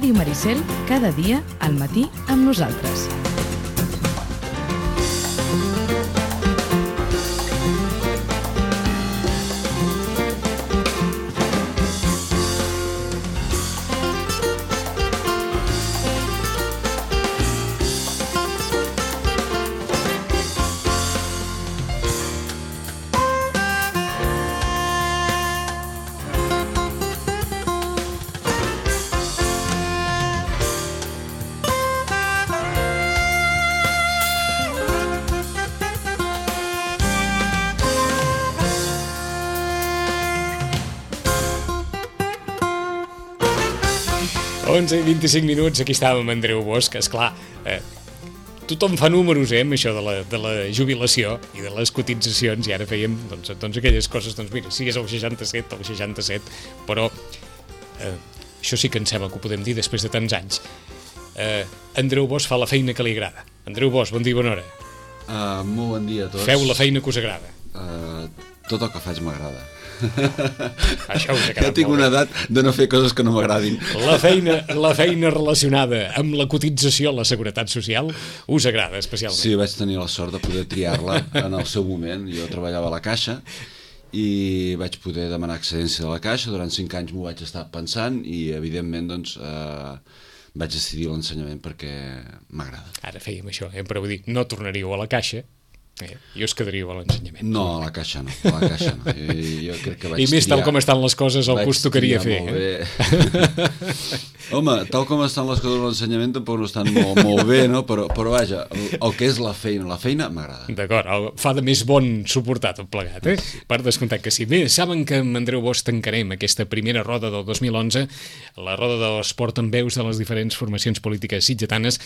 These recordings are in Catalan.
Ràdio Maricel, cada dia al matí amb nosaltres. Onze i 25 minuts, aquí estàvem amb Andreu Bosch. Esclar, tothom fa números, amb això de la jubilació i de les cotitzacions, i ara fèiem doncs aquelles coses, doncs mira, si és el 67, però això sí que em sembla que ho podem dir després de tants anys. Andreu Bosch fa la feina que li agrada. Andreu Bosch, bon dia i bona hora. Molt bon dia a tots. Feu la feina que us agrada. Tot el que faig m'agrada. Això us ha quedat jo tinc una edat de no fer coses que no m'agradin. La feina relacionada amb la cotització a la Seguretat Social us agrada especialment? Sí, vaig tenir la sort de poder triar-la en el seu moment. Jo treballava a la Caixa i vaig poder demanar excedència de la Caixa. Durant 5 anys m'ho vaig estar pensant i evidentment doncs vaig decidir l'ensenyament perquè m'agrada. Ara fèiem això, però vull dir, no tornaríeu a la Caixa i us quedaríeu a l'ensenyament. No, a la Caixa no. Jo crec que vaig I més tal com estan les coses el que us tocaria fer. Home, tal com estan les coses a l'ensenyament tampoc no estan molt bé, no? Però vaja, el que és la feina m'agrada. D'acord, fa de més bon suportar tot plegat, per descomptat que sí. Bé, saben que amb Andreu Bosch tancarem aquesta primera roda del 2011, la roda de l'esport amb veus de les diferents formacions polítiques sitgetanes.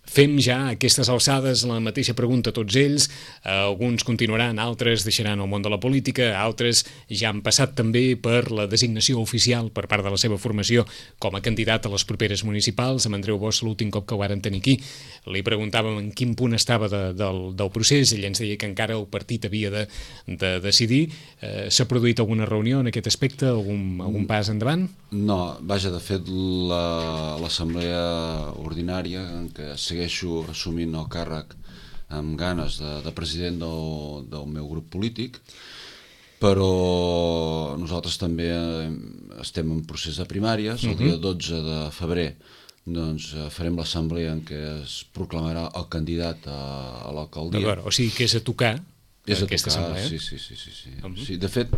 Fem ja a aquestes alçades la mateixa pregunta a tots ells, alguns continuaran, altres deixaran el món de la política, altres ja han passat també per la designació oficial per part de la seva formació com a candidat a les properes municipals. Amb Andreu Bosch l'últim cop que ho varen tenir aquí li preguntàvem en quin punt estava del procés, ell ens deia que encara el partit havia de decidir. S'ha produït alguna reunió en aquest aspecte, algun pas endavant? No, vaja, de fet l'assemblea ordinària en què segueixo assumint el càrrec amb ganes de president del meu grup polític, però nosaltres també estem en procés de primàries. El dia 12 de febrer doncs farem l'assemblea en què es proclamarà el candidat a l'alcaldia. D'acord, o sigui que és a tocar aquesta assemblea. Sí. De fet,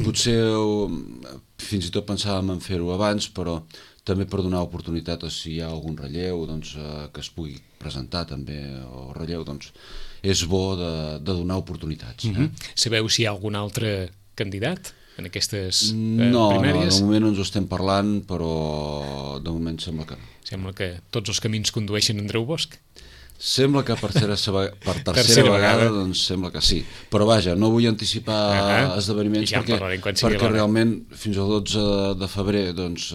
potser fins i tot pensàvem en fer-ho abans, però també per donar oportunitat a si hi ha algun relleu que es pugui presentar també el relleu, doncs és bo de donar oportunitats. Sabeu si hi ha algun altre candidat en aquestes primàries? No, de moment no ens ho estem parlant, però de moment sembla que no. Sembla que tots els camins condueixen a Andreu Bosch? Sembla que per tercera vegada doncs sembla que sí, però vaja, no vull anticipar esdeveniments perquè realment fins al 12 de febrer doncs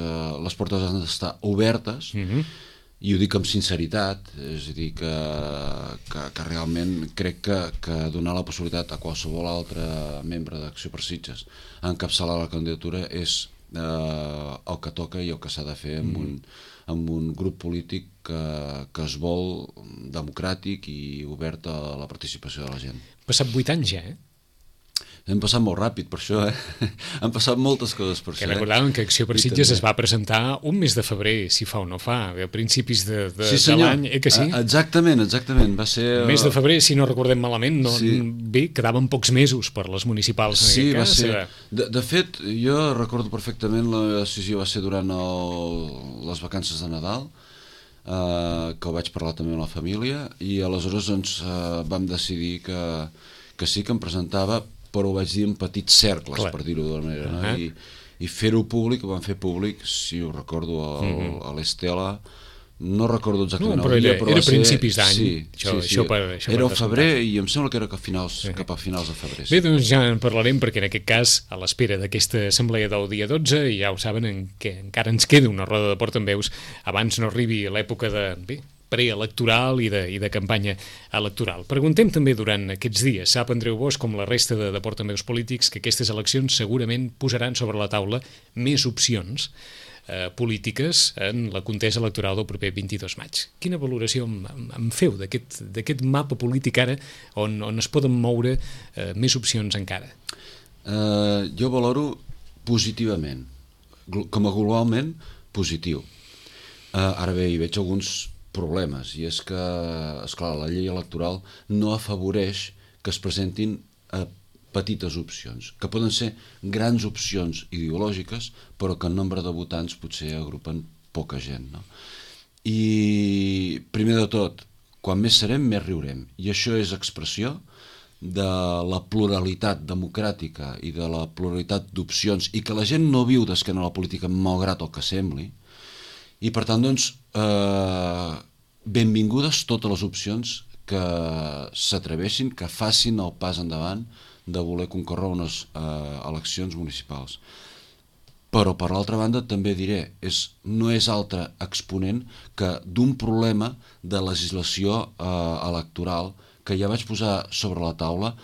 les portes han d'estar obertes i ho dic amb sinceritat, és a dir que realment crec que donar la possibilitat a qualsevol altre membre d'Acció per Sitges a encapçalar la candidatura és el que toca i el que s'ha de fer amb un grup polític que es vol democràtic i obert a la participació de la gent. Passat 8 anys ja, Hem passat molt ràpid per això, Han passat moltes coses per això. Recordàvem que Acció per Sitges es va presentar un mes de febrer, si fa o no fa, a principis de l'any, que sí? Exactament, va ser... Mes de febrer, si no recordem malament, bé, quedaven pocs mesos per les municipals en aquest cas. Sí, va ser... De fet, jo recordo perfectament, la decisió va ser durant les vacances de Nadal, que ho vaig parlar també amb la família, i aleshores vam decidir que sí que em presentava, però ho vaig dir en petits cercles, per dir-ho d'una manera, i fer-ho públic, ho van fer públic, si ho recordo, a l'Estela, no recordo exactament el dia, però era principis d'any. Sí. Era al febrer i em sembla que era cap a finals de febrer. Bé, doncs ja en parlarem, perquè en aquest cas, a l'espera d'aquesta assemblea del dia 12, ja ho saben, que encara ens queda una roda de portaveus abans no arribi l'època de preelectoral i de campanya electoral. Preguntem també durant aquests dies, sap Andreu Bosch, com la resta de portaveus polítics, que aquestes eleccions segurament posaran sobre la taula més opcions polítiques en la contesa electoral del proper 22 maig. Quina valoració em feu d'aquest mapa polític ara on es poden moure més opcions encara? Jo valoro positivament, com a globalment positiu. Ara bé, hi veig alguns problemes, i és que, esclar, la llei electoral no afavoreix que es presentin petites opcions, que poden ser grans opcions ideològiques, però que en nombre de votants potser agrupen poca gent, no? I, primer de tot, quan més serem, més riurem, i això és expressió de la pluralitat democràtica i de la pluralitat d'opcions, i que la gent no viu d'esquena a la política malgrat el que sembli, i per tant, doncs, benvingudes totes les opcions que s'atreveixin, que facin el pas endavant de voler concórrer unes eleccions municipals. Però, per l'altra banda, també diré, no és altre exponent que d'un problema de legislació electoral que ja vaig posar sobre la taula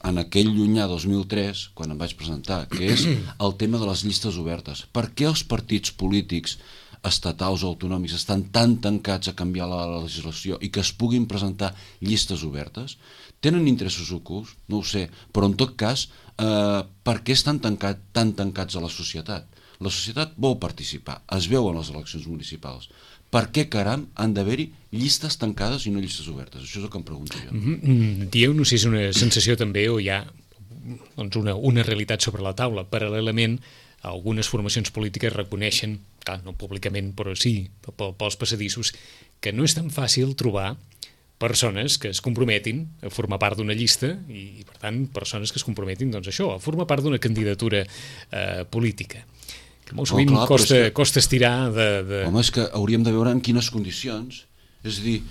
en aquell llunyà 2003, quan em vaig presentar, que és el tema de les llistes obertes. Per què els partits polítics estatals o autonòmics estan tan tancats a canviar la legislació i que es puguin presentar llistes obertes? Tenen interessos ocults? No ho sé, però en tot cas, per què estan tan tancats a la societat? La societat vol participar, es veu en les eleccions municipals. Per què, caram, han d'haver-hi llistes tancades i no llistes obertes? Això és el que em pregunto jo. Dieu, no sé si és una sensació també o hi ha una realitat sobre la taula. Paral·lelament, algunes formacions polítiques reconeixen, clar, no públicament, però sí pels passadissos, que no és tan fàcil trobar persones que es comprometin a formar part d'una llista i, per tant, persones que es comprometin, doncs això, a formar part d'una candidatura política. Que molt sovint costa estirar de... Home, és que hauríem de veure en quines condicions. És a dir,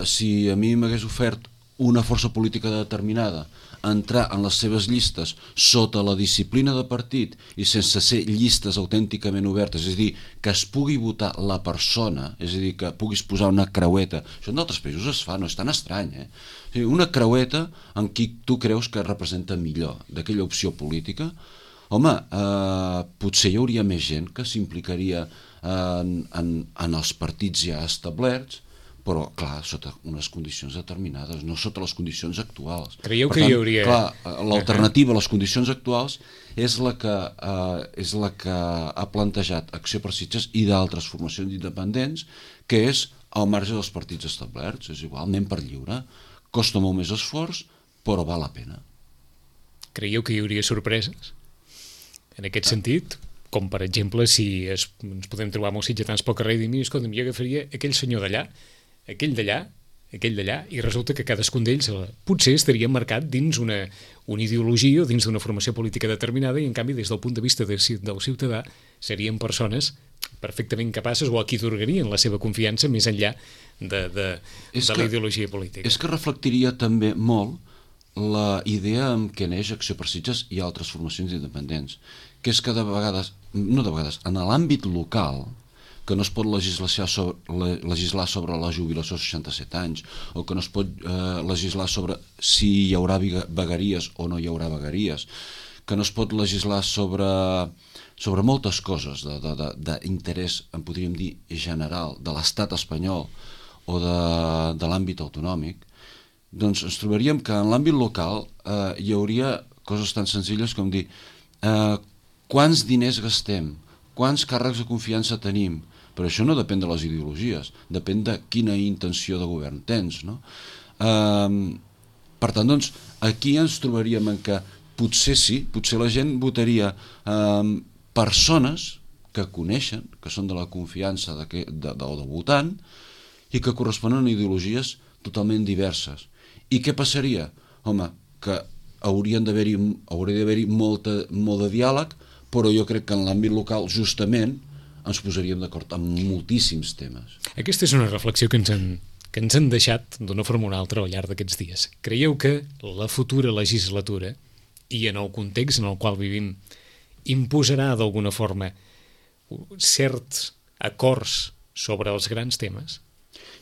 si a mi m'hagués ofert una força política determinada entrar en les seves llistes sota la disciplina de partit i sense ser llistes autènticament obertes, és a dir, que es pugui votar la persona, és a dir, que puguis posar una creueta, això en d'altres països es fa, no és tan estrany, una creueta en qui tu creus que representa millor d'aquella opció política, home, potser hi hauria més gent que s'implicaria en els partits ja establerts, però, clar, sota unes condicions determinades, no sota les condicions actuals. Creieu que hi hauria... Clar, l'alternativa a les condicions actuals és la que ha plantejat Acció per Sitges i d'altres formacions independents, que és al marge dels partits establerts. És igual, anem per lliure. Costa molt més esforç, però val la pena. Creieu que hi hauria sorpreses? En aquest sentit, com per exemple, si ens podem trobar molts sitgetans pel carrer i dir, mira, escolta'm, jo agafaria aquell senyor d'allà, aquell d'allà, i resulta que cadascun d'ells potser estaria marcat dins una ideologia o dins d'una formació política determinada i, en canvi, des del punt de vista del ciutadà, serien persones perfectament capaces o a qui atorgarien la seva confiança més enllà de la ideologia política. És que reflectiria també molt la idea amb què neix Acció per Sitges i altres formacions independents, que és que en l'àmbit local, que no es pot legislar sobre la jubilació als 67 anys, o que no es pot legislar sobre si hi haurà vegueries o no hi haurà vegueries, que no es pot legislar sobre moltes coses d'interès, en podríem dir, general, de l'estat espanyol o de l'àmbit autonòmic, doncs ens trobaríem que en l'àmbit local hi hauria coses tan senzilles com dir quants diners gastem, quants càrrecs de confiança tenim, però això no depèn de les ideologies, depèn de quina intenció de govern tens, no? Per tant, doncs, aquí ens trobaríem en que potser sí, potser la gent votaria persones que coneixen, que són de la confiança del votant i que corresponen a ideologies totalment diverses. I què passaria? Home, que hauria d'haver-hi molt de diàleg, però jo crec que en l'àmbit local, justament, ens posaríem d'acord en moltíssims temes. Aquesta és una reflexió que ens han deixat d'una forma o una altra al llarg d'aquests dies. Creieu que la futura legislatura, i en el context en el qual vivim, imposarà d'alguna forma certs acords sobre els grans temes?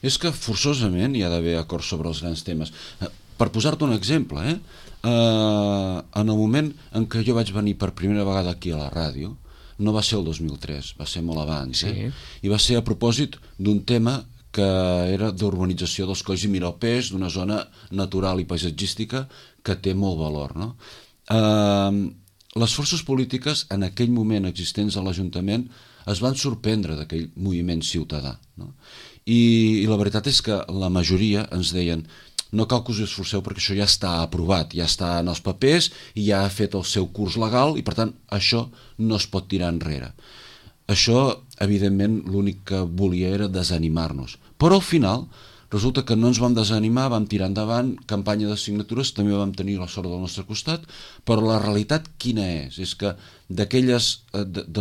És que forçosament hi ha d'haver acords sobre els grans temes. Per posar-te un exemple, en el moment en què jo vaig venir per primera vegada aquí a la ràdio, no va ser el 2003, va ser molt abans, i va ser a propòsit d'un tema que era d'urbanització dels Colls i Miralpeix, d'una zona natural i paisatgística que té molt valor, no? Les forces polítiques en aquell moment existents a l'Ajuntament es van sorprendre d'aquell moviment ciutadà, no? I la veritat és que la majoria ens deien: no cal que us esforceu perquè això ja està aprovat, ja està en els papers i ja ha fet el seu curs legal i per tant això no es pot tirar enrere. Això, evidentment, l'únic que volia era desanimar-nos. Però al final resulta que no ens vam desanimar, vam tirar endavant, campanya de signatures, també vam tenir la sort del nostre costat, però la realitat quina és? És que de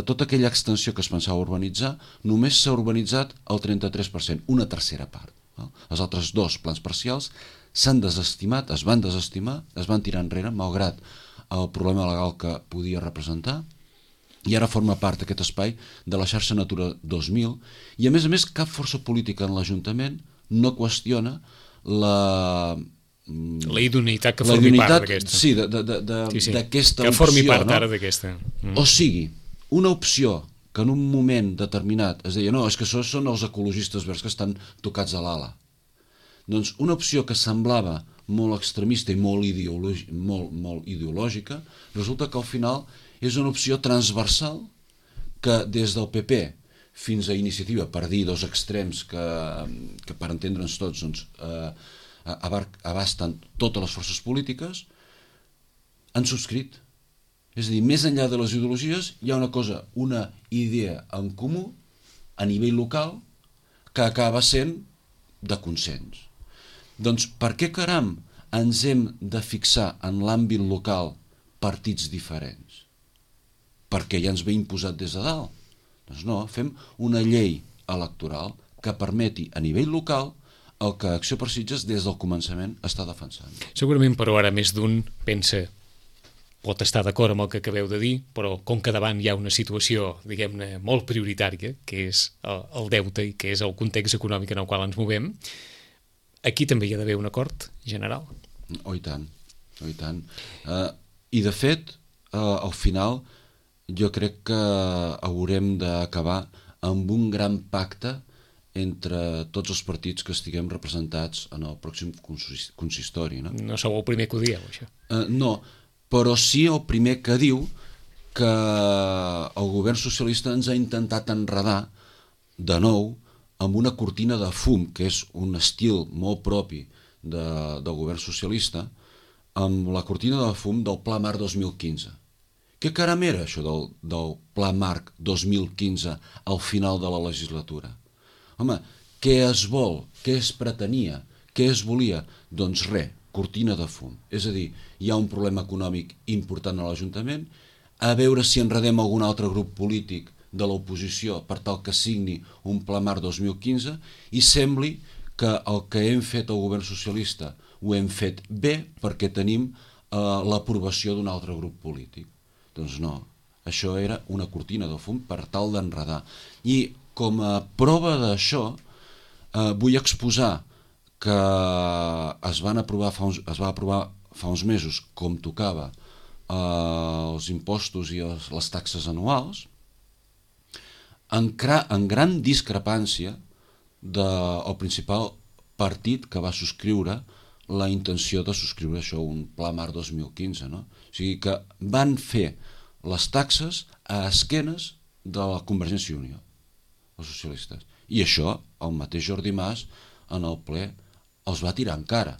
tota aquella extensió que es pensava urbanitzar, només s'ha urbanitzat el 33%, una tercera part. No? Els altres dos plans parcials s'han desestimat, es van desestimar, es van tirar enrere, malgrat el problema legal que podia representar, i ara forma part aquest espai de la xarxa Natura 2000, i a més cap força política en l'Ajuntament no qüestiona la idoneïtat que formi part d'aquesta. Sí, d'aquesta opció. Que formi part ara d'aquesta. O sigui, una opció que en un moment determinat es deia: no, és que això són els ecologistes verds que estan tocats a l'ala. Doncs una opció que semblava molt extremista i molt ideològica, resulta que al final és una opció transversal que des del PP fins a Iniciativa, per dir dos extrems que per entendre'ns tots abasten totes les forces polítiques, han subscrit. És a dir, més enllà de les ideologies hi ha una idea en comú a nivell local que acaba sent de consens. Doncs per què caram ens hem de fixar en l'àmbit local partits diferents? Perquè ja ens ve imposat des de dalt. Doncs no, fem una llei electoral que permeti a nivell local el que Acció per Sitges des del començament està defensant. Segurament, però, ara més d'un pensa, pot estar d'acord amb el que acabeu de dir, però com que davant hi ha una situació, diguem-ne, molt prioritària, que és el deute i que és el context econòmic en el qual ens movem, aquí també hi ha d'haver un acord general. Oh, i tant, oh, i tant. I de fet, al final, jo crec que haurem d'acabar amb un gran pacte entre tots els partits que estiguem representats en el pròxim consistori. No sou el primer que ho dieu, això. No, però sí el primer que diu que el govern socialista ens ha intentat enredar de nou amb una cortina de fum, que és un estil molt propi del govern socialista, amb la cortina de fum del Pla Marc 2015. Què caram era això del Pla Marc 2015 al final de la legislatura? Home, què es vol? Què es pretenia? Què es volia? Doncs res, cortina de fum. És a dir, hi ha un problema econòmic important a l'Ajuntament, a veure si enredem algun altre grup polític de l'oposició per tal que signi un Pla Marc 2015 i sembli que el que hem fet al govern socialista ho hem fet bé perquè tenim l'aprovació d'un altre grup polític. Doncs no, això era una cortina de fum per tal d'enredar. I com a prova d'això vull exposar que es va aprovar fa uns mesos, com tocava, els impostos i les taxes anuals, en gran discrepància del principal partit que va subscriure la intenció de subscriure això, un Pla Marc 2015. No? O sigui que van fer les taxes a esquenes de la Convergència i Unió, els socialistes. I això, el mateix Jordi Mas, en el ple, els va tirar en cara.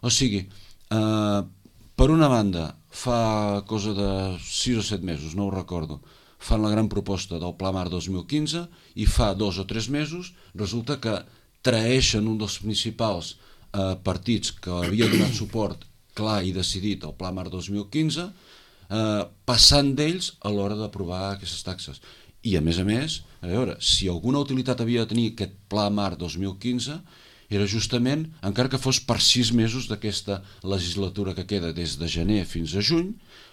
O sigui, per una banda, fa cosa de 6 o 7 mesos, no ho recordo, fan la gran proposta del Pla Marc 2015 i fa 2 o 3 mesos resulta que traeixen un dels principals partits que havia donat suport clar i decidit al Pla Marc 2015, passant d'ells a l'hora d'aprovar aquestes taxes. I a més, a veure, si alguna utilitat havia de tenir aquest Pla Marc 2015 era justament, encara que fos per 6 mesos d'aquesta legislatura que queda des de gener fins a juny,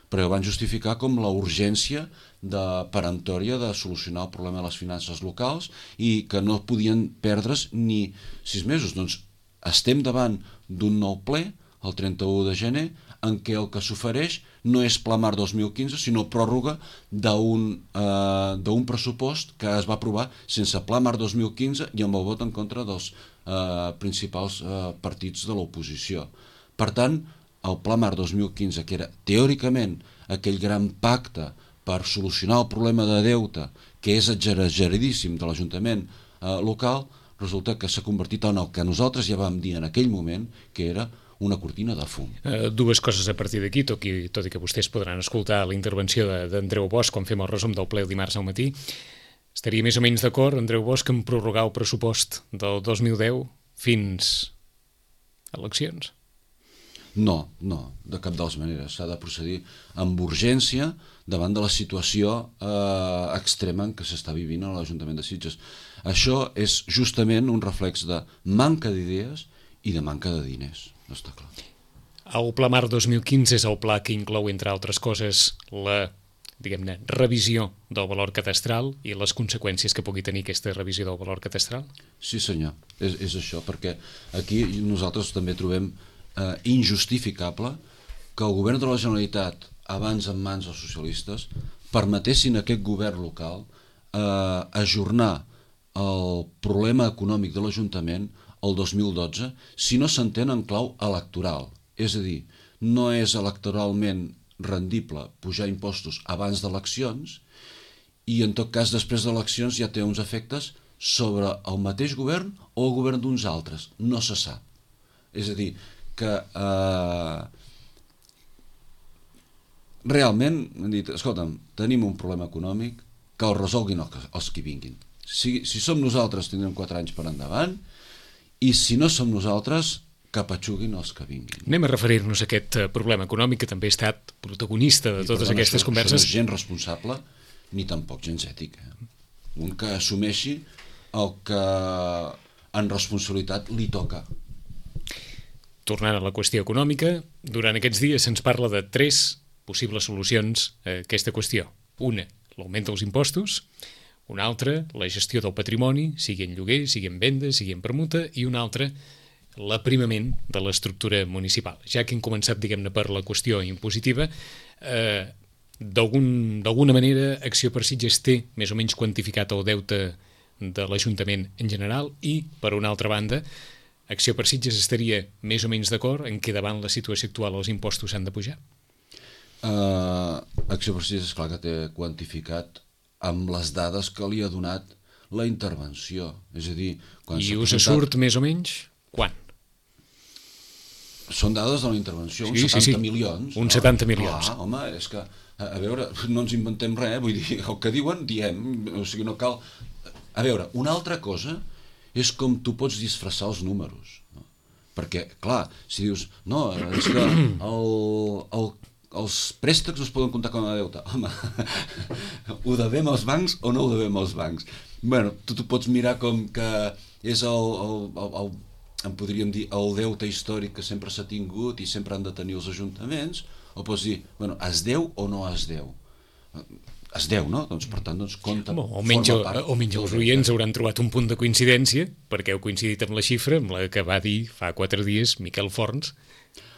però van justificar com la urgència peremptòria de solucionar el problema de les finances locals i que no podien perdre's ni 6 mesos. Doncs estem davant d'un nou ple, el 31 de gener, en què el que s'ofereix no és Pla Mar 2015, sinó pròrroga d'un pressupost que es va aprovar sense Pla Mar 2015 i amb el vot en contra dels principals partits de l'oposició. Per tant, el Pla Mar 2015, que era teòricament aquell gran pacte per solucionar el problema de deute, que és exageradíssim de l'Ajuntament local, resulta que s'ha convertit en el que nosaltres ja vam dir en aquell moment, que era una cortina de fum. Dues coses a partir d'aquí, tot i que vostès podran escoltar la intervenció d'Andreu Bosch quan fem el resum del ple el dimarts al matí. Estaria més o menys d'acord, Andreu Bosch, en prorrogar el pressupost del 2010 fins a eleccions? No, de cap de les maneres. S'ha de procedir amb urgència davant de la situació extrema en què s'està vivint a l'Ajuntament de Sitges. Això és justament un reflex de manca d'idees i de manca de diners, està clar. El Pla Mar 2015 és el pla que inclou, entre altres coses, la, diguem-ne, revisió del valor catastral i les conseqüències que pugui tenir aquesta revisió del valor catastral? Sí, senyor, és això, perquè aquí nosaltres també trobem injustificable que el govern de la Generalitat, abans en mans dels socialistes, permetessin a aquest govern local ajornar el problema econòmic de l'Ajuntament el 2012 si no s'entén en clau electoral. És a dir, no és electoralment rendible pujar impostos abans d'eleccions i en tot cas després d'eleccions ja té uns efectes sobre el mateix govern o el govern d'uns altres. No se sap. És a dir, que realment han dit, escolta'm, tenim un problema econòmic, que el resolguin els que vinguin. Si som nosaltres tindrem 4 anys per endavant i si no som nosaltres que patxuguin els que vinguin. Anem a referir-nos a aquest problema econòmic que també ha estat protagonista de totes aquestes converses. Això no és gens responsable ni tampoc gens ètic. Un que assumeixi el que en responsabilitat li toca. Tornant a la qüestió econòmica, durant aquests dies se'ns parla de 3 possibles solucions a aquesta qüestió. Una, l'augment dels impostos; una altra, la gestió del patrimoni, sigui en lloguer, sigui en venda, sigui en permuta; i una altra, l'aprimament de l'estructura municipal. Ja que hem començat, diguem-ne, per la qüestió impositiva, d'alguna manera Acció per Sitges té més o menys quantificat el deute de l'Ajuntament en general i, per una altra banda, Acció per Sitges estaria més o menys d'acord en que davant la situació actual els impostos s'han de pujar? Acció per Sitges és clar que té quantificat amb les dades que li ha donat la intervenció. És a dir, quan I us surt més o menys quan? Són dades de la intervenció, uns 70 milions. Uns 70 milions. Home, és que, a veure, no ens inventem res, vull dir, el que diuen, diem, o sigui, no cal... A veure, una altra cosa és com tu pots disfressar els números. No? Perquè, clar, si dius, no, és que els préstecs es poden comptar com a deute. Home, ho devem als bancs o no ho devem als bancs? Bueno, tu pots mirar com que és en podríem dir, el deute històric que sempre s'ha tingut i sempre han de tenir els ajuntaments, o pots dir, bueno, es deu o no es deu? Es deu, no? Doncs, per tant, compta... Almenys els oients hauran trobat un punt de coincidència, perquè heu coincidit amb la xifra, amb la que va dir fa 4 dies Miquel Forns,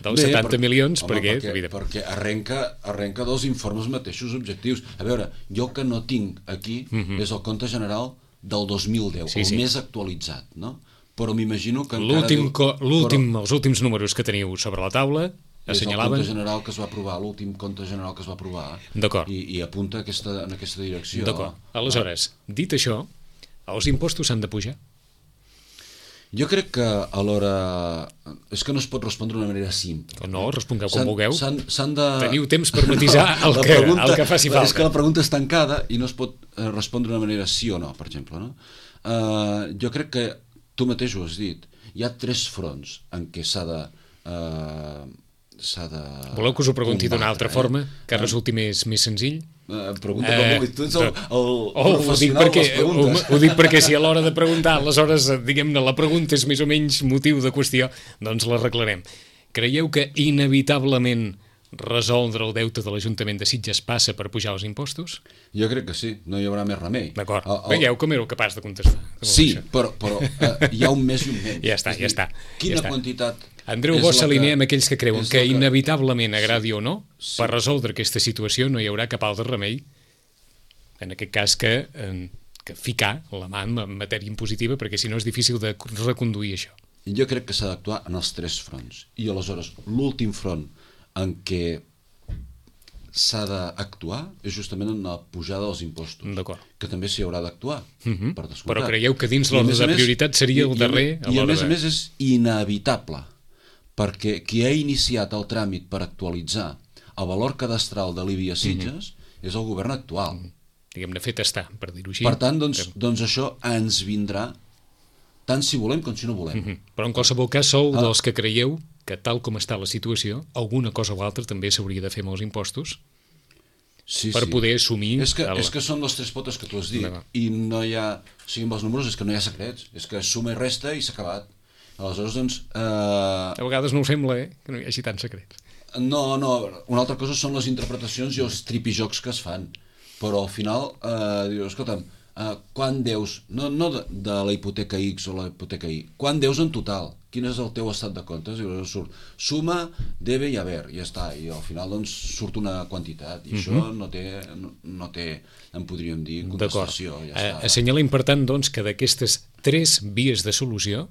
dels 70 milions, perquè arrenca dels informes mateixos objectius. A veure, jo que no tinc aquí és el compte general del 2010, el més actualitzat, no? Però m'imagino que els últims números que teniu sobre la taula assenyalaven... És el compte general que es va aprovar, l'últim compte general que es va aprovar, i apunta en aquesta direcció. D'acord. Aleshores, dit això, els impostos s'han de pujar? Jo crec que a l'hora... És que no es pot respondre d'una manera simple. No, respongueu com vulgueu. De... Teniu temps per matisar el que faci falta. És que la pregunta és tancada i no es pot respondre d'una manera sí o no, per exemple. No? Jo crec que tu mateix ho has dit. Hi ha 3 fronts en què s'ha de Voleu que us ho pregunti d'una altra forma, que resulti més senzill? Pregunta com vulguis, tu ets el professional de les preguntes. Ho dic perquè si a l'hora de preguntar, aleshores, diguem-ne, la pregunta és més o menys motiu de qüestió, doncs l'arreglarem. Creieu que inevitablement resoldre el deute de l'Ajuntament de Sitges passa per pujar els impostos? Jo crec que sí, no hi haurà més remei. D'acord. Veieu com éreu capaç de contestar. Sí, però hi ha un més i un menys. Ja està. Quina quantitat... Andreu Bosch s'alinea amb aquells que creuen que inevitablement, agradi o no, per resoldre aquesta situació no hi haurà cap altre remei, en aquest cas que ficar la mà en matèria impositiva, perquè si no és difícil de reconduir això. Jo crec que s'ha d'actuar en els 3 fronts. I aleshores, l'últim front en què s'ha d'actuar és justament en la pujada dels impostos, que també s'hi haurà d'actuar, per descomptat. Però creieu que dins l'ordre de prioritat seria el darrer? I a més és inevitable, perquè qui ha iniciat el tràmit per actualitzar el valor cadastral de l'IBI a Sitges és el govern actual. Diguem-ne, fet està, per dir-ho així. Per tant, doncs això ens vindrà tant si volem com si no volem. Però en qualsevol cas sou dels que creieu que tal com està la situació, alguna cosa o altra també s'hauria de fer amb els impostos per poder assumir... És que són les 3 potes que tu has dit, i no hi ha... O sigui, amb els números és que no hi ha secrets, és que suma i resta i s'ha acabat. Aleshores, doncs... A vegades no ho sembla, que no hi hagi tants secrets. No, una altra cosa són les interpretacions i els tripijocs que es fan, però al final dius, escolta'm, quan deus, no de la hipoteca X o la hipoteca Y, quan deus en total? Quin és el teu estat de comptes? I surt suma, debe i haver, i ja està, i al final doncs surt una quantitat, i això no té, en podríem dir, contestació. Assenyalem, per tant, doncs, que d'aquestes 3 vies de solució,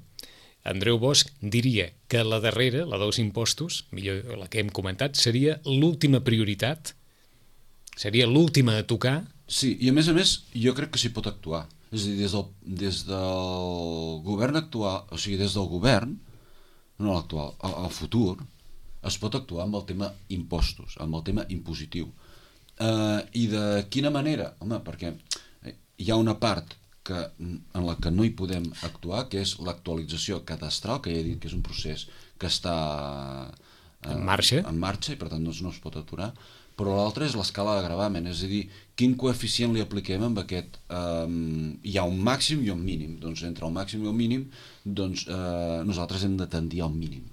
Andreu Bosch diria que la darrera, la dels impostos, millor la que hem comentat, seria l'última prioritat, seria l'última a tocar. Sí, i a més, jo crec que s'hi pot actuar. És a dir, des del govern actual, o sigui, des del govern, no l'actual, al futur, es pot actuar amb el tema impostos, amb el tema impositiu. I de quina manera? Home, perquè hi ha una part en la que no hi podem actuar, que és l'actualització cadastral, que ja he dit que és un procés que està en marxa, i per tant doncs, no es pot aturar, però l'altre és l'escala de gravamen, és a dir, quin coeficient li apliquem amb aquest... hi ha un màxim i un mínim, doncs entre el màxim i el mínim doncs, nosaltres hem de tendir al mínim,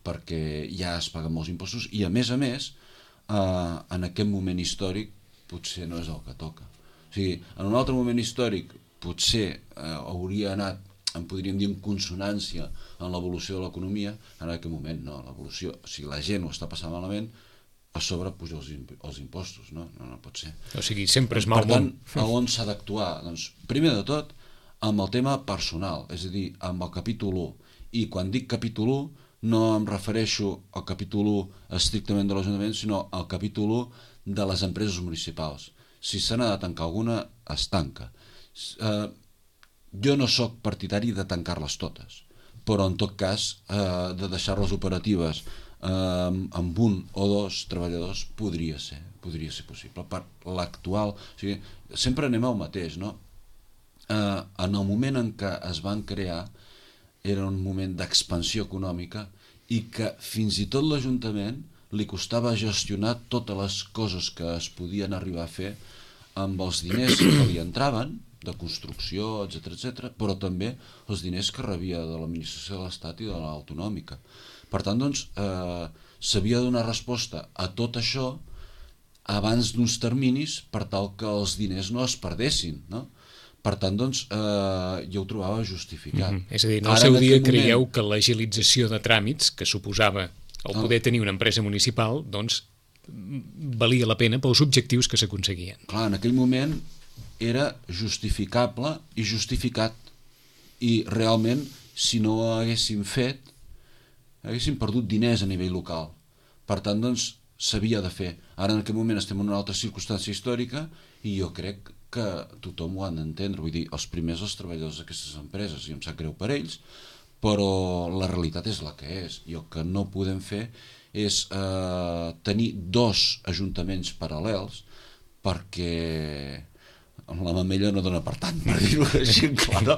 perquè ja es paguen molts impostos i a més, en aquest moment històric potser no és el que toca. O sigui, en un altre moment històric potser hauria anat, en podríem dir, en consonància en l'evolució de l'economia, en aquest moment no, l'evolució, o sigui, la gent ho està passant malament, a sobre puja els impostos, no pot ser. O sigui, sempre és mal món. Per tant, on s'ha d'actuar? Doncs, primer de tot, amb el tema personal, és a dir, amb el capítol 1. I quan dic capítol 1, no em refereixo al capítol 1 estrictament de l'Ajuntament, sinó al capítol 1 de les empreses municipals. Si se n'ha de tancar alguna, es tanca. Jo no sóc partidari de tancar-les totes, però en tot cas de deixar-les operatives amb 1 o 2 treballadors podria ser possible. Per l'actual, o sigui, sempre anem al mateix, no? En el moment en què es van crear era un moment d'expansió econòmica i que fins i tot l'Ajuntament li costava gestionar totes les coses que es podien arribar a fer amb els diners que li entraven de construcció, etc, però també els diners que rebia de l'administració de l'Estat i de l'autonòmica. Per tant, doncs, s'havia de donar resposta a tot això abans d'uns terminis per tal que els diners no es perdessin, no? Per tant, doncs, jo ho trobava justificat. És a dir, en el seu dia creieu que l'agilització de tràmits que suposava el poder tenir una empresa municipal, doncs, valia la pena pels objectius que s'aconseguien. Clar, en aquell moment era justificable i justificat, i realment, si no ho haguéssim fet, haguéssim perdut diners a nivell local. Per tant, doncs, s'havia de fer. Ara, en aquest moment, estem en una altra circumstància històrica i jo crec que tothom ho han d'entendre. Vull dir, els primers, els treballadors d'aquestes empreses, i em sap greu per ells, però la realitat és la que és. I el que no podem fer és tenir 2 ajuntaments paral·lels perquè la mamella no dona per tant, per dir-ho així clar, no?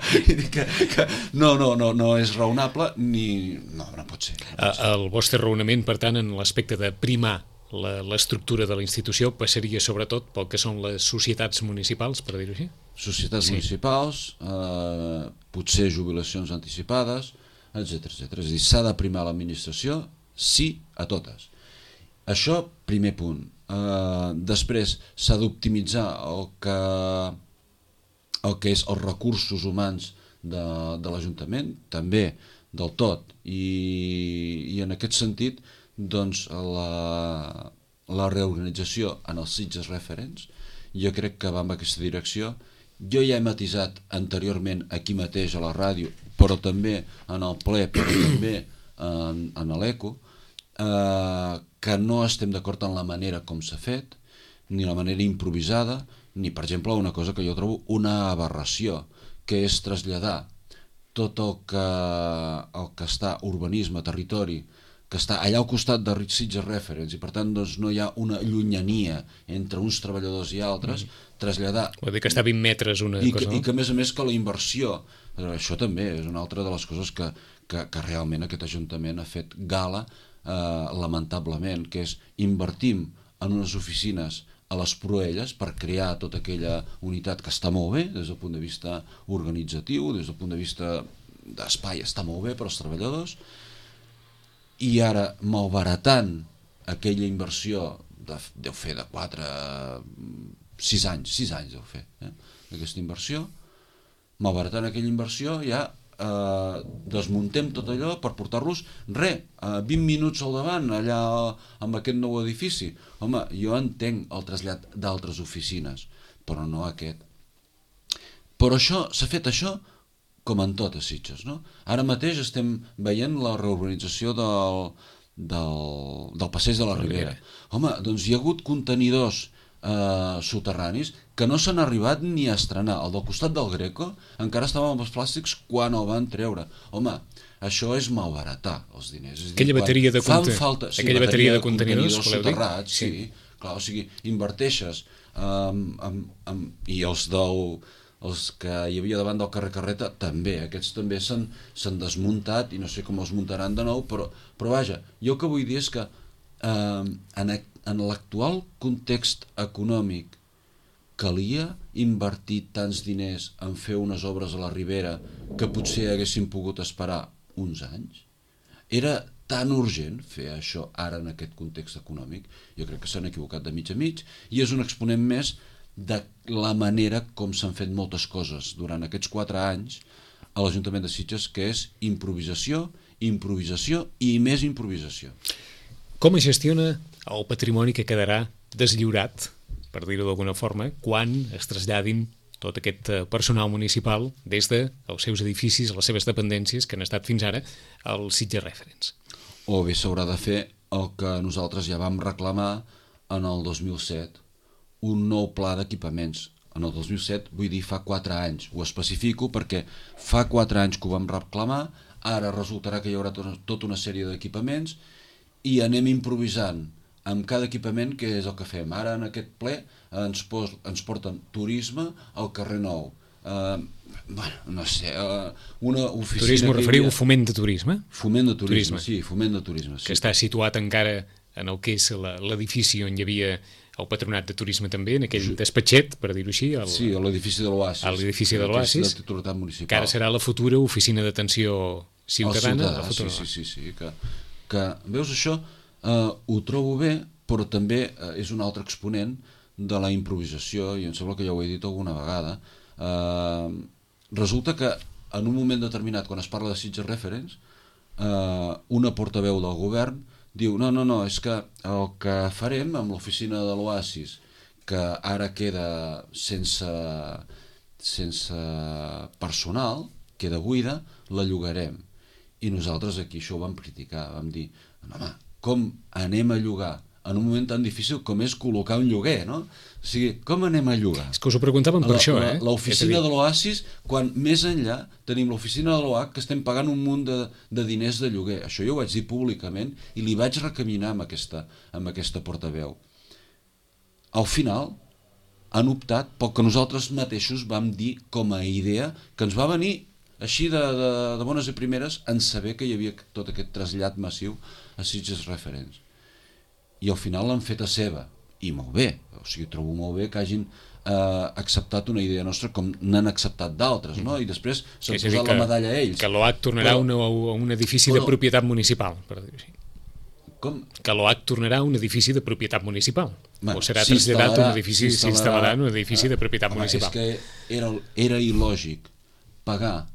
No és raonable ni... No pot ser. El vostre raonament, per tant, en l'aspecte de primar l'estructura de la institució passaria sobretot pel que són les societats municipals, per dir-ho així? Societats municipals, potser jubilacions anticipades, etc. És a dir, s'ha de primar l'administració, sí a totes. Això, primer punt. Després s'ha d'optimitzar el que és els recursos humans de l'Ajuntament, també del tot, i en aquest sentit doncs la reorganització en els Sitges Referents jo crec que va en aquesta direcció. Jo ja he matisat anteriorment aquí mateix a la ràdio, però també en el ple, però també en l'ECO, que no estem d'acord en la manera com s'ha fet, ni la manera improvisada, ni, per exemple, una cosa que jo trobo una aberració, que és traslladar tot el que està urbanisme, territori, que està allà al costat de Sitges Referents, i per tant doncs, no hi ha una llunyania entre uns treballadors i altres, traslladar... Vol dir que està a 20 metres una cosa, no? I que a més que la inversió, això també és una altra de les coses que realment aquest Ajuntament ha fet gala, lamentablement, que és invertim en unes oficines a les Proelles per crear tota aquella unitat que està molt bé des del punt de vista organitzatiu, des del punt de vista d'espai està molt bé per als treballadors, i ara malbaratant aquella inversió deu fer de 6 anys deu fer, aquesta inversió, malbaratant aquella inversió ja desmuntem tot allò per portar-los 20 minuts al davant allà amb aquest nou edifici. Home, jo entenc el trasllat d'altres oficines, però no aquest. Però s'ha fet això com en tot a Sitges, no? Ara mateix estem veient la reorganització del passeig de la Ribera. Home, doncs hi ha hagut contenidors soterranis que no s'han arribat ni a estrenar. El del costat del Greco encara estava amb els plàstics quan el van treure. Home, això és malbaratar els diners. Aquella bateria de contenidors soterrats, sí, clar, o sigui, inverteixes i els que hi havia davant del carrer Carreta també, aquests també s'han desmuntat i no sé com els muntaran de nou, però vaja, jo el que vull dir és que en l'actual context econòmic calia invertir tants diners en fer unes obres a la Ribera que potser haguessin pogut esperar uns anys? Era tan urgent fer això ara en aquest context econòmic? Jo crec que s'han equivocat de mig a mig i és un exponent més de la manera com s'han fet moltes coses durant aquests 4 anys a l'Ajuntament de Sitges, que és improvisació, improvisació i més improvisació. Com es gestiona el patrimoni que quedarà deslliurat, per dir-ho d'alguna forma, quan es traslladin tot aquest personal municipal des dels seus edificis, les seves dependències que han estat fins ara als Sitges Referents? O bé s'haurà de fer el que nosaltres ja vam reclamar en el 2007, un nou pla d'equipaments. En el 2007, vull dir fa 4 anys, ho especifico perquè fa 4 anys que ho vam reclamar, ara resultarà que hi haurà tota una sèrie d'equipaments i anem improvisant amb cada equipament, que és el que fem. Ara en aquest ple ens porten turisme al carrer Nou. No sé, una oficina... Turisme, referiu foment de turisme? Foment de turisme, sí, foment de turisme. Que està situat encara en el que és l'edifici on hi havia el patronat de turisme també, en aquell despatxet, per dir-ho així. Sí, a l'edifici de l'Oasis. A l'edifici de l'Oasis, que ara serà la futura oficina d'atenció ciutadana. Sí, que veus això, ho trobo bé, però també és un altre exponent de la improvisació, i em sembla que ja ho he dit alguna vegada. Resulta que en un moment determinat, quan es parla de Sitges Referents, una portaveu del govern diu, no, és que el que farem amb l'oficina de l'Oasis, que ara queda sense personal, queda buida, la llogarem. I nosaltres aquí això ho vam criticar, vam dir, home, com anem a llogar en un moment tan difícil com és col·locar un lloguer, no? O sigui, com anem a llogar? És que us ho preguntàvem per això, L'oficina de l'Oasis, quan més enllà tenim l'oficina de l'OAC que estem pagant un munt de diners de lloguer. Això jo ho vaig dir públicament i li vaig recaminar amb aquesta portaveu. Al final han optat pel que nosaltres mateixos vam dir com a idea, que ens va venir així de bones i primeres en saber que hi havia tot aquest trasllat massiu a Sitges Referents. I al final l'han fet a seva, i molt bé, o sigui, trobo molt bé que hagin acceptat una idea nostra com n'han acceptat d'altres, no? I després s'ha posat la medalla a ells. Que l'OAC tornarà a un edifici de propietat municipal, per dir-ho així. Que l'OAC tornarà a un edifici de propietat municipal. O serà traslladat a un edifici, s'instal·larà en un edifici de propietat municipal. És que era il·lògic pagar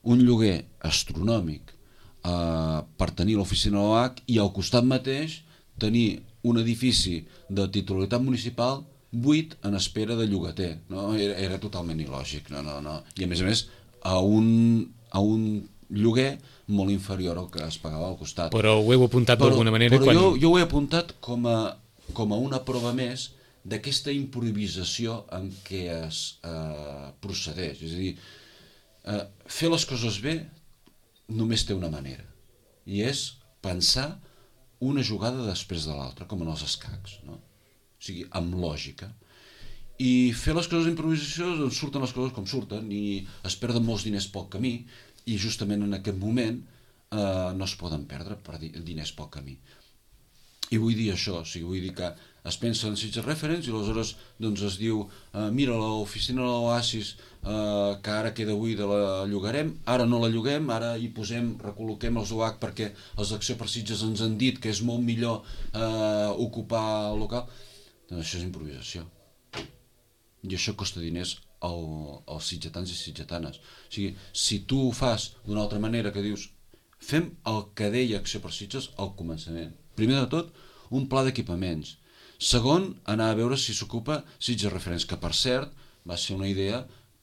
un lloguer astronòmic per tenir l'oficina de l'OAC i al costat mateix tenir un edifici de titularitat municipal buit en espera de llogater. No? Era totalment il·lògic. No. I a més, a un lloguer molt inferior al que es pagava al costat. Però ho heu apuntat d'alguna manera? Però jo ho he apuntat com a una prova més d'aquesta improvisació en què es procedeix. És a dir, fer les coses bé només té una manera, i és pensar una jugada després de l'altra, com en els escacs, no? O sigui, amb lògica. I fer les coses d'improvisació, doncs surten les coses com surten, i es perden molts diners pel camí, i justament en aquest moment no es poden perdre per diners pel camí. I vull dir això, o sigui, vull dir que es pensa en Sitges Reference i aleshores doncs es diu mira, l'oficina de l'Oasis que ara queda buida la llogarem, ara no la lloguem, ara hi recol·loquem els OAC perquè els d'Acció per Sitges ens han dit que és molt millor ocupar el local. Doncs això és improvisació. I això costa diners als sitgetans i sitgetanes. O sigui, si tu ho fas d'una altra manera, que dius fem el que deia Acció per Sitges al començament. Primer de tot, un pla d'equipaments. Segon, anar a veure si s'ocupa Sitges Referents, que per cert va ser una idea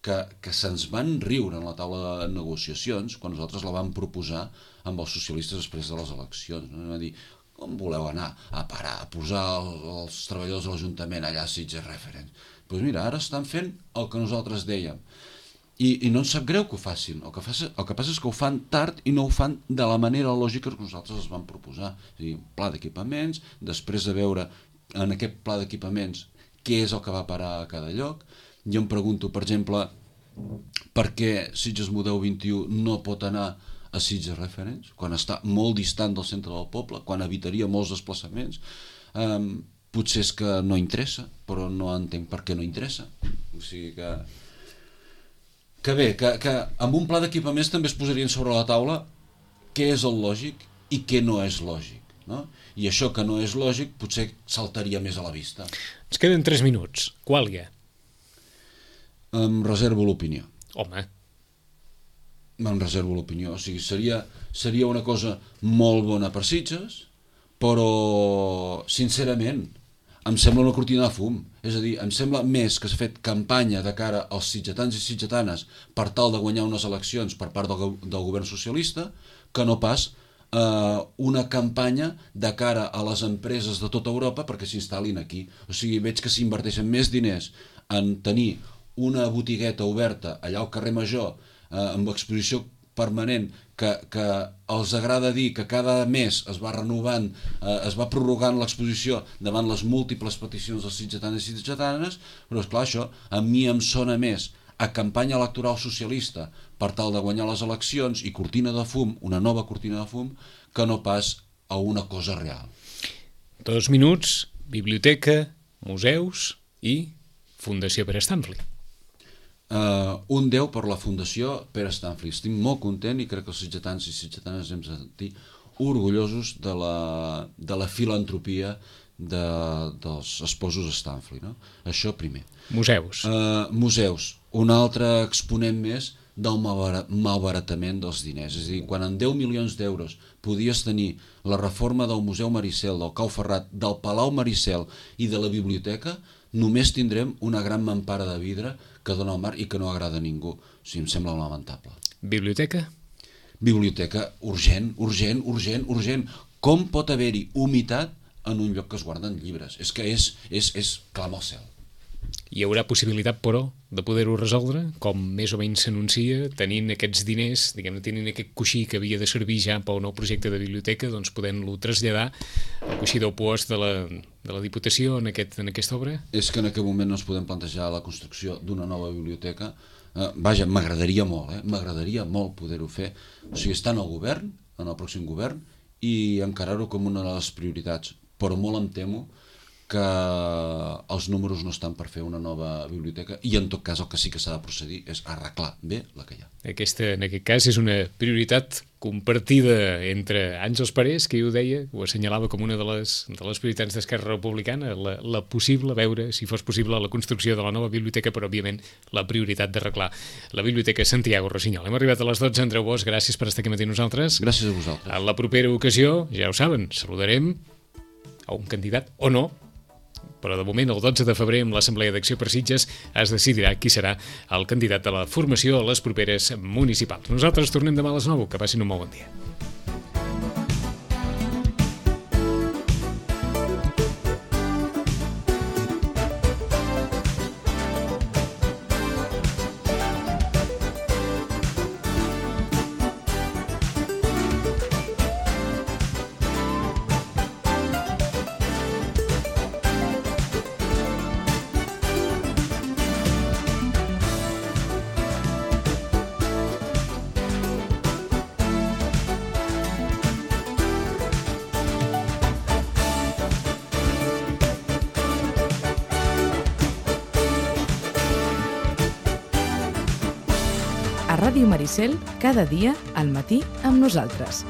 que se'ns van riure en la taula de negociacions quan nosaltres la vam proposar amb els socialistes després de les eleccions. No? Vam dir, com voleu anar a parar, a posar els treballadors de l'Ajuntament allà a Sitges Referents? Doncs mira, ara estan fent el que nosaltres dèiem. I no ens sap greu que ho facin, el que passa és que ho fan tard i no ho fan de la manera lògica que nosaltres els vam proposar. És a dir, un pla d'equipaments, després de veure en aquest pla d'equipaments què és el que va parar a cada lloc. Jo em pregunto, per exemple, per què Sitges Model 21 no pot anar a Sitges Referents, quan està molt distant del centre del poble, quan evitaria molts desplaçaments. Potser és que no interessa, però no entenc per què no interessa. O sigui que bé, que amb un pla d'equipaments també es posarien sobre la taula què és el lògic i què no és lògic, no? I això que no és lògic potser saltaria més a la vista. Ens queden 3 minuts. Quàlia? Em reservo l'opinió. Home. Em reservo l'opinió. O sigui, seria una cosa molt bona per Sitges, però, sincerament, em sembla una cortina de fum. És a dir, em sembla més que s'ha fet campanya de cara als sitgetans i sitgetanes per tal de guanyar unes eleccions per part del govern socialista que no pas una campanya de cara a les empreses de tota Europa perquè s'instal·lin aquí. O sigui, veig que s'inverteixen més diners en tenir una botigueta oberta allà al carrer Major amb exposició permanent que els agrada dir que cada mes es va renovant, es va prorrogant l'exposició davant les múltiples peticions dels sitgetans i sitgetanes, però esclar, això a mi em sona més a campanya electoral socialista per tal de guanyar les eleccions i cortina de fum, una nova cortina de fum, que no pas a una cosa real. 2 minuts, biblioteca, museus i Fundació Pere Stanfli. Un 10 per la Fundació Pere Stanfli. Estic molt content i crec que els sitgetans i sitgetanes hem de sentir orgullosos de la filantropia dels esposos Stanfli, no? Això primer. Museus. Museus. Un altre exponent més del malbaratament dels diners. És a dir, quan en 10 milions d'euros podies tenir la reforma del Museu Maricel, del Cau Ferrat, del Palau Maricel i de la biblioteca, només tindrem una gran mampara de vidre que dona al mar i que no agrada a ningú. O sigui, em sembla lamentable. Biblioteca? Biblioteca, urgent. Com pot haver-hi humitat en un lloc que es guarden llibres? És que és clam al cel. Hi haurà possibilitat, però, de poder-ho resoldre, com més o menys s'anuncia, tenint aquests diners, diguem-ne, tenint aquest coixí que havia de servir ja pel nou projecte de biblioteca, doncs podent-lo traslladar al coixí del puost de la Diputació en aquesta obra? És que en aquest moment no ens podem plantejar la construcció d'una nova biblioteca. Vaja, m'agradaria molt poder-ho fer. O sigui, estar en el govern, en el pròxim govern, i encarar-ho com una de les prioritats. Però molt em temo que els números no estan per fer una nova biblioteca i en tot cas el que sí que s'ha de procedir és arreglar bé la que hi ha. Aquesta, en aquest cas, és una prioritat compartida entre Àngels Parés, que ho deia, ho assenyalava com una de les prioritats d'Esquerra Republicana, la possible, veure si fos possible la construcció de la nova biblioteca, però òbviament la prioritat d'arreglar la Biblioteca Santiago Rossinyol. Hem arribat a les 12, Andreu Bosch, gràcies per estar aquí matí amb nosaltres. Gràcies a vosaltres. A la propera ocasió, ja ho saben, saludarem a un candidat o no, però de moment el 12 de febrer amb l'Assemblea d'Acció per Sitges es decidirà qui serà el candidat de la formació a les properes municipals. Nosaltres tornem demà a les 9, que passin un molt bon dia. A Ràdio Maricel, cada dia al matí amb nosaltres.